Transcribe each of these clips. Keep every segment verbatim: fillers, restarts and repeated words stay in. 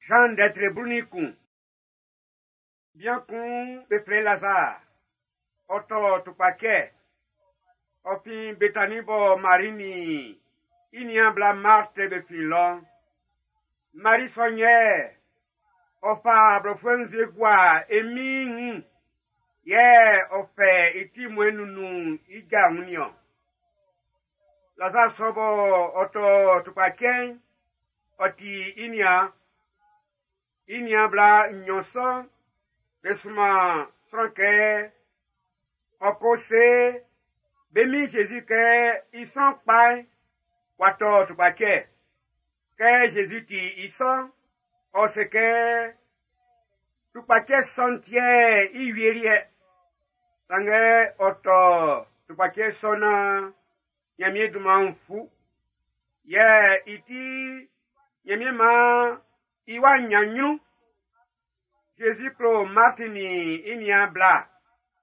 Jean ndɛtre blu-nin-kun. Bian kun be flɛ i Lazare. Ɔ tɔ tukpacɛ. Ɔ fin Betani bɔ Mari nin i niaan bla Marthe be fin lɔ'n. Mari sɔ'n yɛ ɔ fa blɔfuɛ nzue gua e Min'n wun, yɛ ɔ fɛ i timuɛn'n nunnun i ja wun nin-ɔn. Lazare sɔ bɔ ɔ tɔ tukpacɛ'n, ɔ ti i niaan. I niaan bla nnyɔn sɔ'n, be sunman sran kɛ ɔ ko se be min Jésus kɛ i sran kpa'n w'a tɔ tukpacɛ. Kɛ Jésus ti i sɔ'n, ɔ se kɛ tukpacɛ sɔ'n tiɛ i wie liɛ. Sanngɛ ɔ tɔ tukpacɛ sɔ'n naan Ɲanmiɛn dunman'n fu. Yɛ i ti Ɲanmiɛn maan i wa ɲan ɲrun. Jésus klo Marti nin i niaan bla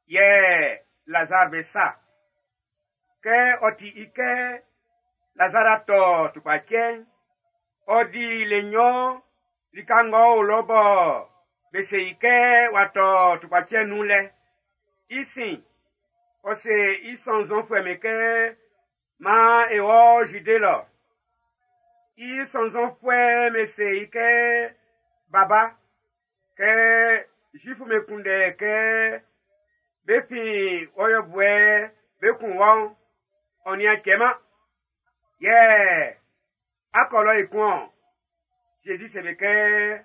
yɛ Lazare be sa. Kɛ ɔ ti i kɛ Lazare a tɔ tukpacɛ'n, ɔ di le nnyɔn lika ng'ɔ o lɔ bɔ be se i kɛ w'a tɔ tukpacɛ nun lɛ. I sin, ɔ se i sɔnnzɔnfuɛ'm be kɛ maan e wɔ Zude lɔ. I sɔnnzɔnfuɛ'm be se i kɛ, Baba, kɛ Zuifu'm be kunndɛ kɛ be fin wɔ yɔbuɛ be kun wɔ'n, ɔ nin-a cɛman. Yɛ a kɔ lɔ ekun-ɔn. Jésus se be kɛ,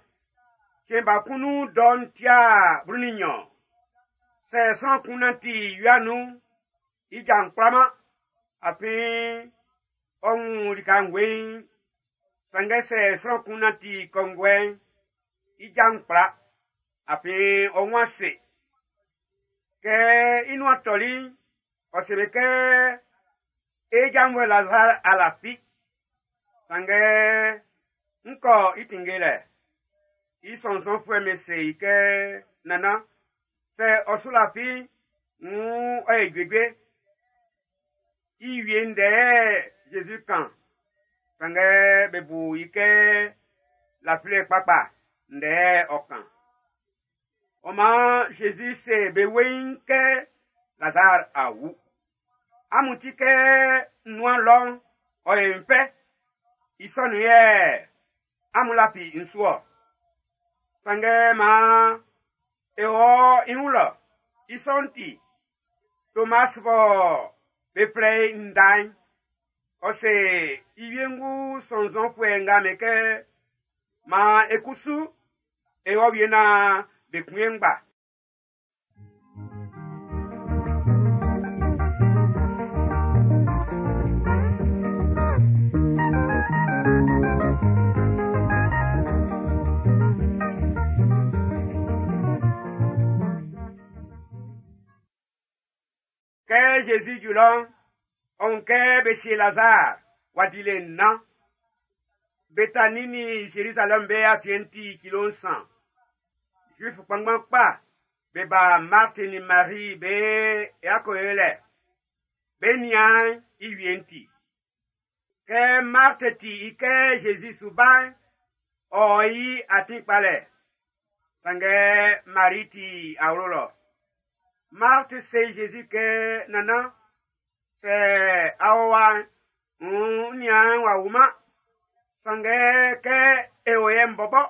cɛn ba kun nun dɔ'n tia blu-nin-nɲɔn. Sɛ sran kun nanti wia nun'n, i ja'n kplaman, afin ɔ wun lika'n weiin. Sanngɛ sɛ sran kun nanti kɔnguɛ'n, i ja'n kpla, afin ɔ wun ase. Kɛ i nuan tɔli'n, ɔ se be kɛ, e janvuɛ Lazare a lafi. Sanngɛ n kɔ i tinngelɛ. I sɔnnzɔnfuɛ'm be se i kɛ, Nannan, sɛ ɔ su lafi'n, wuun ɔ ye juejue. I wie ndɛ yɛ Jésus kan, sanngɛ be bu i kɛ lafilɛ kpakpa ndɛ yɛ ɔ kan. Ɔ maan Jésus se be weiin kɛ Lazare a wu. Amun ti kɛ n nuan lɔ'n, ɔ ye n fɛ. I sɔ nun yɛ amun lafi n su-ɔ. Sanngɛ maan e wɔ i wun lɔ. I sɔ'n ti, Tomas bɔ be flɛ i Nda'n, ɔ se i wiengu sɔnnzɔnfuɛ nga be kɛ, maan e kusu e wɔ wie naan be kun e ngba. Kɛ Jésus ju lɔ'n, ɔ wun kɛ be sie Lazare w'a di le nnan. Betani nin Jérusalem be afiɛn'n ti kilo nsan. Zuif kpanngban kpa be ba Marthe nin Marie be yako lɛ. Be nian i wie'n ti. Kɛ Marthe ti i kɛ Jésus su ba'n, ɔ yi atin kpalɛ. Sanngɛ Marie ti awlo lɔ. Marthe se Jésus kɛ, Nannan, sɛ a o wa'n, n niaan w'a wuman. Sanngɛ kɛ e o yɛ'n bɔbɔ,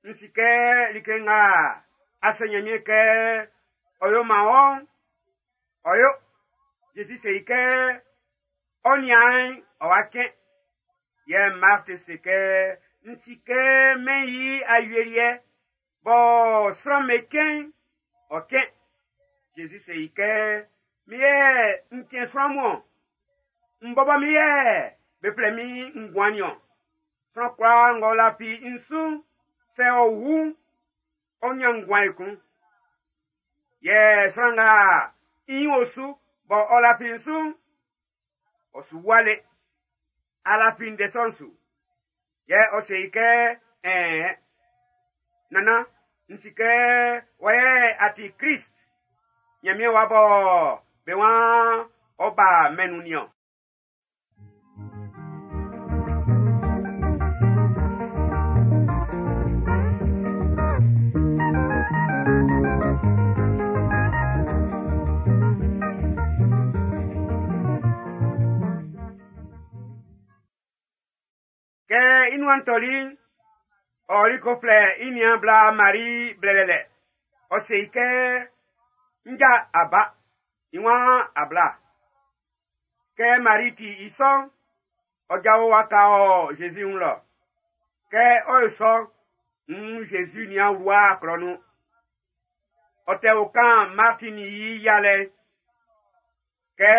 n si kɛ like nga a se Ɲanmiɛn kɛ ɔ yo man wɔ'n, ɔ yo. Jésus se i kɛ, ɔ niaan'n ɔ wa cɛn. Yɛ Marthe se kɛ, n si kɛ mɛn i awieliɛ bɔ sran'm be cɛn'n, ɔ cɛn. Jésus se i kɛ, min yɛ n cɛn sran mun-ɔn. N bɔbɔ min yɛ be flɛ min nguan nin-ɔn. Sran kwlaa ng'ɔ lafi n su'n, sɛ ɔ wu'n, ɔ ɲan nguan ekun. Yɛ sran nga i o su bɔ ɔ lafi n su'n, ɔ su wua le. A lafi ndɛ sɔ'n su. Yɛ ɔ se i kɛ, ɛɛn, Nannan, n si kɛ wɔ yɛ a ti Krist, Ɲanmiɛn wa bɔ be waan ɔ ba mɛn'n nun nin-ɔn. nuan tɔli'n, ɔ ɔli ko flɛ i niaan bla Mari blɛlɛlɛ. Ɔ se i kɛ, nja a ba, i waan a bla. Kɛ Mari ti i sɔ'n, ɔ jao waka ɔ Zezi wun lɔ. Kɛ ɔ yo sɔ'n, nn Zezi nian wlua klɔ nun. Ɔ tɛ o kan Marti nin i yialɛ'n. Kɛ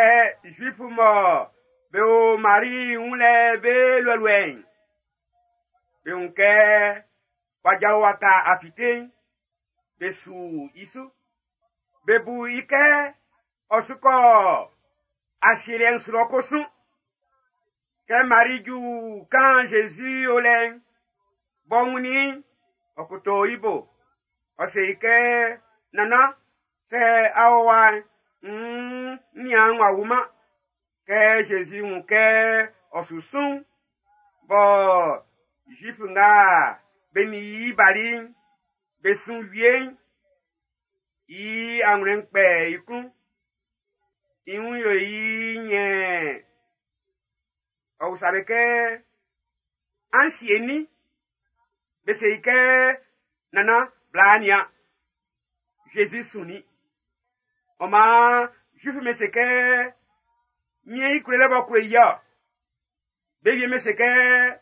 Zuifu mɔ be o Mari wun lɛ be luɛluɛ'n, be wun kɛ w'a jao waka a fite'n, be su i su. Be bu i kɛ ɔ su kɔ asieliɛ'n su lɔ ko sun. Kɛ Mari ju kan Zezi o lɛ'n, b'ɔ wunnin i'n, ɔ koto i bo. Ɔ se i kɛ, nannan, sɛ a o wa'n, nn n niaan w'a wuman. Kɛ Zezi wun kɛ ɔ su sun'n, bɔ Zuifu nga be nin i bali'n, be sun wie'n, i anwlɛn'n kpɛ i klun. I wun yo i nyɛɛn. Ɔ usa be kɛ, an sie nin? Be se i kɛ, nannan, bla nian. Zezi sunnin. Ɔ maan Zuifu'm be se kɛ, mie i klolɛ b'ɔ klo i ɔ. Be wie be se kɛ,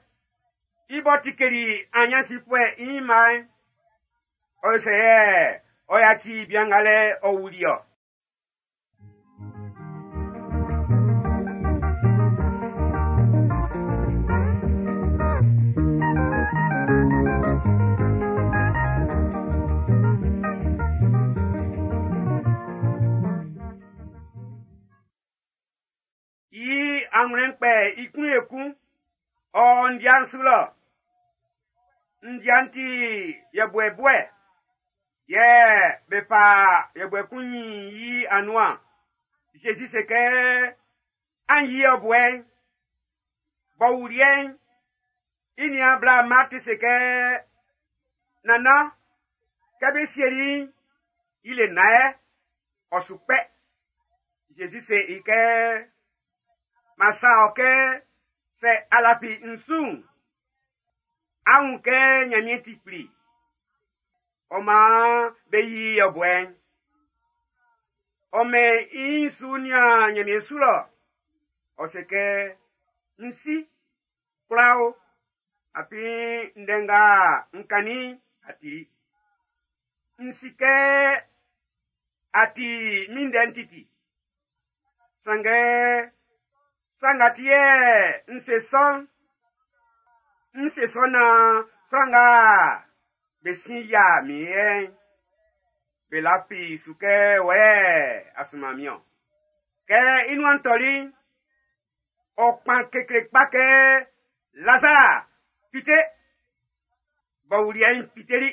i b'ɔ tikeli anyansifuɛ i ɲinma'n, ɔ sɛ yɛ ɔ yaci bian nga lɛ ɔ wuli ɔ. I anwlɛn'n kpɛ i klun ekun, ɔ ndia'n su lɔ. Ndia'n ti yɛbuɛ buɛ, yɛ be fa yɛbuɛ kun nyin yi anuan. Zezi se kɛ, an yi yɛbuɛ'n. B'ɔ wuliɛ'n, i niaan bla Marti se kɛ, nannan, kɛ be sieli i'n, i le nnan yɛ, ɔ su kpɛ. Zezi se i kɛ, ma sa ɔ kɛ sɛ a lafi n su'n, a wun kɛ Nyanmiɛn ti kpli. Ɔ maan be yi yɛbuɛ'n. Ɔ mɛn i su nian Nyanmiɛn su lɔ. Ɔ se kɛ, n si, kwla o, afin ndɛ nga n kannin'n, a tili. N si kɛ a ti min ndɛ'n titi. Sanngɛ, sa nga ti yɛ n se sɔ'n, n se sɔ naan sran nga be sin yia min yɛ'n, be lafi su kɛ wɔ yɛ a sunman min-ɔn. Kɛ i nuan tɔli'n, ɔ kpan kekle kpa kɛ, Lazar, fite! B'ɔ wuliɛ'n fiteli.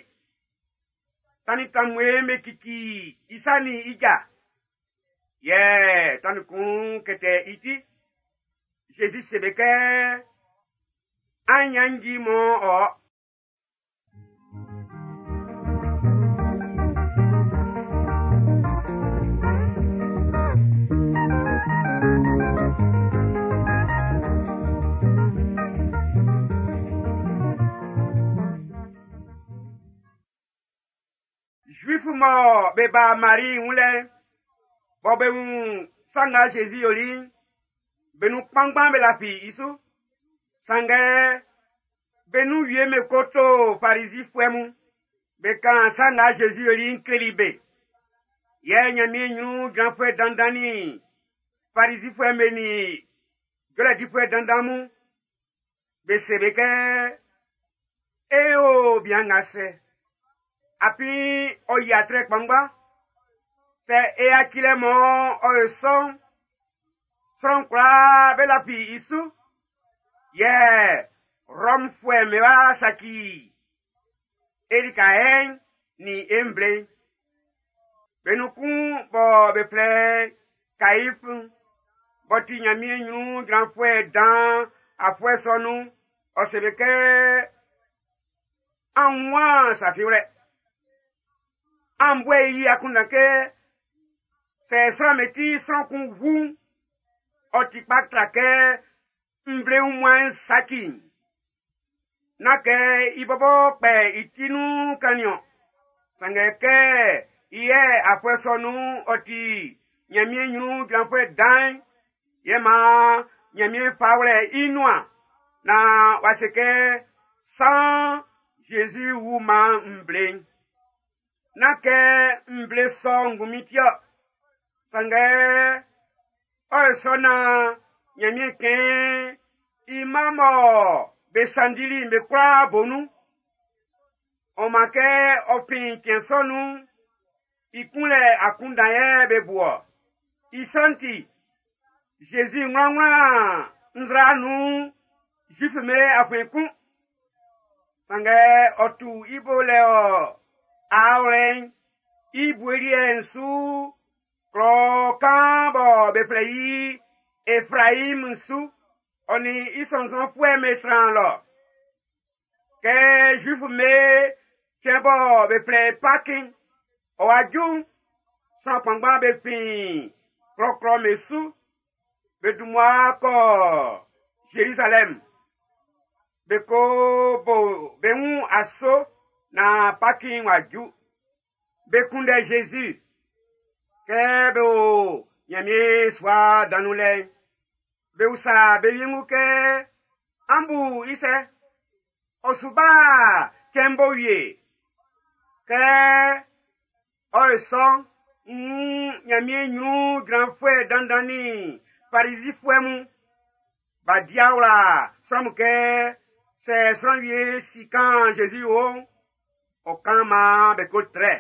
Tannin tanmue'n be kiki i sa nin i ja. Yɛ tannin kun kɛtɛ i ti. Zezi se be kɛ, an ɲannji mɔ ɔ. Zuifu mɔ be ba Mari wun lɛ, bɔ be wun sa nga Zezi yoli'n, be nun kpanngban be lafi i su. Sanngɛ be nun wie me ko to Farizifuɛ mun, be kan sa nga Zezi yoli'n kleli be. Yɛ Nyanmiɛn ɲrun jranfuɛ dandan nin Farizifuɛ'm be nin jɔlɛ difuɛ dandan mun, be se be kɛ, e o bian nga sɛ, afin ɔ yi atrɛ kpanngban. Sɛ e yaci lɛ mɔ ɔ yo sɔ'n, sran kwlaa be lafi i su. Yɛ Rɔmfuɛ'm be wa saci e lika yɛ'n nin e nvle'n. Be nun kun bɔ be flɛ Kaif'n, b'ɔ ti Nyanmiɛn ɲrun jranfuɛ dan afuɛ sɔ nun'n, ɔ se be kɛ, an waan sa fi wlɛ. An buɛ i akunndan kɛ sɛ sran me ti sran kun wu'n, ɔ ti kpa tra kɛ nvle wunmuan'n saci'n. Nán kɛ i bɔbɔ kpɛ i ti nun kannin-ɔn. Sanngɛ kɛ i yɛ afuɛ sɔ nun'n ɔ ti Ɲanmiɛn ɲrun jranfuɛ dan'n, yɛ maan Ɲanmiɛn fa wlɛ i nuan naan w'a se kɛ saan Zezi wuman nvle'n. Nán kɛ nvle sɔ ngunmin ti-ɔ. Sanngɛ ɔ yo sɔ naan Ɲanmiɛn kɛn i mma mɔ be sanndili'n be kwlaa bo nun. Ɔ maan kɛ ɔ fin cɛn sɔ nun'n, i kunlɛ akunndan yɛ be bu-ɔ. I sɔ'n ti, Zezi wlanwlan nzra nun Zuifu'm be afiɛn kun. Sanngɛ ɔ tu i bo lɛ ɔ aawlɛ'n i bue liɛ'n su klɔ kan bɔ be flɛ i Efraim su, ɔ nin i sɔnnzɔnfuɛ'm be tran lɔ. Kɛ Zuifu'm be cɛn bɔ be flɛ i Paki'n, ɔ wa ju'n, sran kpanngban be fin klɔklɔ'm be su, be dun mmua kɔ Zerizalɛm. Be ko bo be wun aso naan Paki'n w'a ju. Be kunndɛ Zezi. Kɛ be o Ɲanmiɛn sua dan nun lɛ'n, be usa be wiengu kɛ, “An bu i sɛ? Ɔ su ba cɛn'n bo wie?” Kɛ ɔ yo sɔ'n, nn Ɲanmiɛn ɲrun jranfuɛ dandan nin Farizifuɛ mun b'a di awla sran mun kɛ sɛ sran wie si kan Zezi wo'n, ɔ kan maan be ko trɛ.